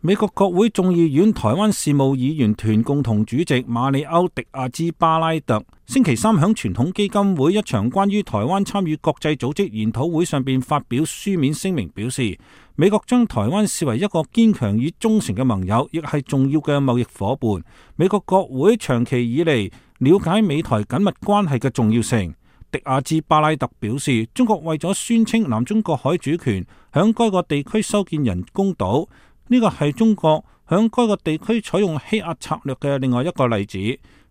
美國國會眾議院台灣事務議員團共同主席馬里歐·迪亞茲巴拉特星期三響傳統基金會一場關於台灣參與國際組織研討會上邊發表書面聲明，表示美國將台灣視為一個堅強與忠誠嘅盟友，亦係重要嘅貿易夥伴。美國國會長期以嚟了解美台緊密關係嘅重要性。迪亞茲巴拉特表示，中國為咗宣稱南中國海主權，響該個地區修建人工島。呢個係中國響該個地區採用欺壓策略嘅另外一個例子，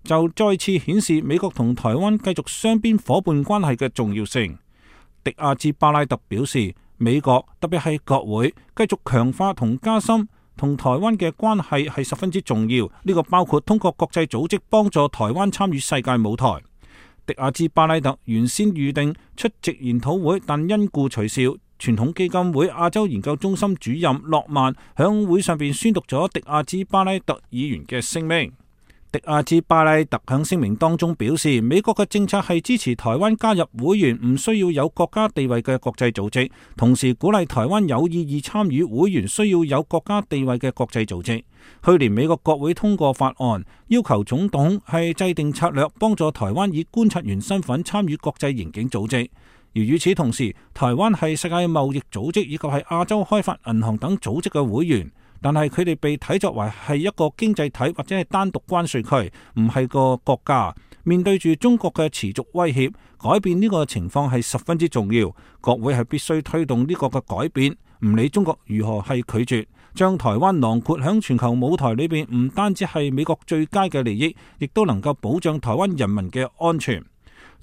就再次顯示美國同台灣繼續雙邊夥伴關係嘅重要性。迪亞茲巴拉特表示，美國特別係國會繼續強化同加深同台灣嘅關係係十分之重要，呢個包括通過國際組織幫助台灣參與世界舞台。迪亞茲巴拉特原先預定出席研討會，但因故取消。傳統基金會亞洲研究中心主任諾曼響會上邊宣讀咗迪亞茲巴拉特議員嘅聲明。迪亞茲巴拉特響聲明當中表示，美國嘅政策係支持台灣加入會員唔需要有國家地位嘅國際組織，同時鼓勵台灣有意義參與會員需要有國家地位嘅國際組織。去年美國國會通過法案，要求總統係制定策略，幫助台灣以觀察員身份參與國際刑警組織。而與此同時，台灣係世界貿易組織以及係亞洲開發銀行等組織嘅會員，但係佢哋被睇作為係一個經濟體或者係單獨關稅區，唔係個國家。面對住中國嘅持續威脅，改變呢個情況係十分之重要。國會係必須推動呢個嘅改變，唔理中國如何係拒絕，將台灣囊括響全球舞台裏邊，唔單止係美國最佳嘅利益，亦都能夠保障台灣人民嘅安全。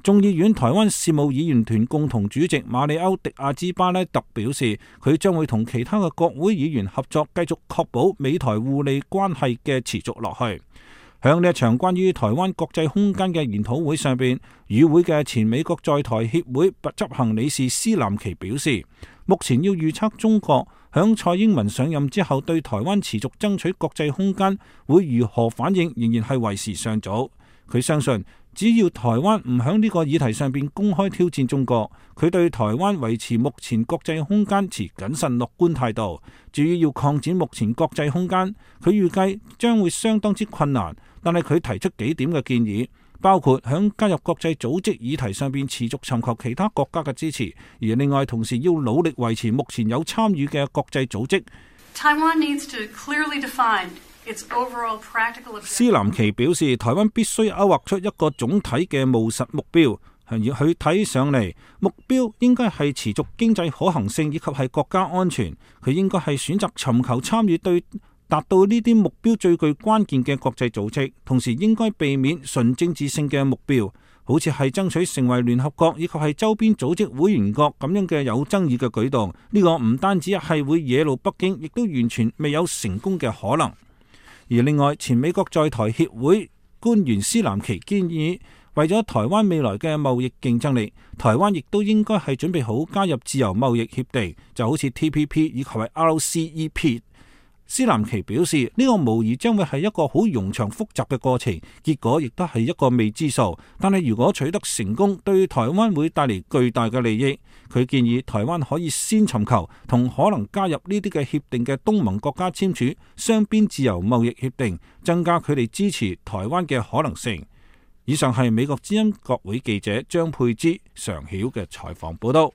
眾議院台灣事務議員團共同主席馬里歐·迪亞茲巴拉特表示，佢將會同其他嘅國會議員合作，繼續確保美台互利關係嘅持續落去。響呢一場關於台灣國際空間嘅研討會上邊，與會嘅前美國在台協會執行理事施南奇表示，目前要預測中國響蔡英文上任之後對台灣持續爭取國際空間會如何反應，仍然係為時尚早。佢相信，只要台灣唔響呢個議題上邊公開挑戰中國，佢對台灣維持目前國際空間持謹慎樂觀態度。至於要擴展目前國際空間，佢預計將會相當之困難，但係佢提出幾點嘅建議，包括響加入國際組織議題上邊持續尋求其他國家嘅支持，而另外同時要努力維持目前有參與嘅國際組織。Taiwan needs to clearly define施南奇表示，台灣必須勾畫出一個總體嘅務實目標，佢睇上嚟目標應該係持續經濟可行性以及係國家安全。佢應該係選擇尋求參與對達到呢啲目標最具關鍵嘅國際組織，同時應該避免純政治性嘅目標，好似係爭取成為聯合國以及係周邊組織會員國咁樣嘅有爭議嘅舉動。呢個唔單止係會惹怒北京，亦都完全未有成功嘅可能。而另外，前美國在台協會官員施南奇建議，為咗台灣未來嘅貿易競爭力，台灣亦都應該係準備好加入自由貿易協定，就好似 TPP 以及係 RCEP。施南奇表示，呢個無疑將會係一個好冗長複雜嘅過程，結果亦都係一個未知數。但係如果取得成功，對台灣會帶嚟巨大嘅利益。佢建議台灣可以先尋求同可能加入呢啲嘅協定嘅東盟國家簽署雙邊自由貿易協定，增加佢哋支持台灣嘅可能性。以上係美國之音國會記者張佩芝常曉嘅採訪報道。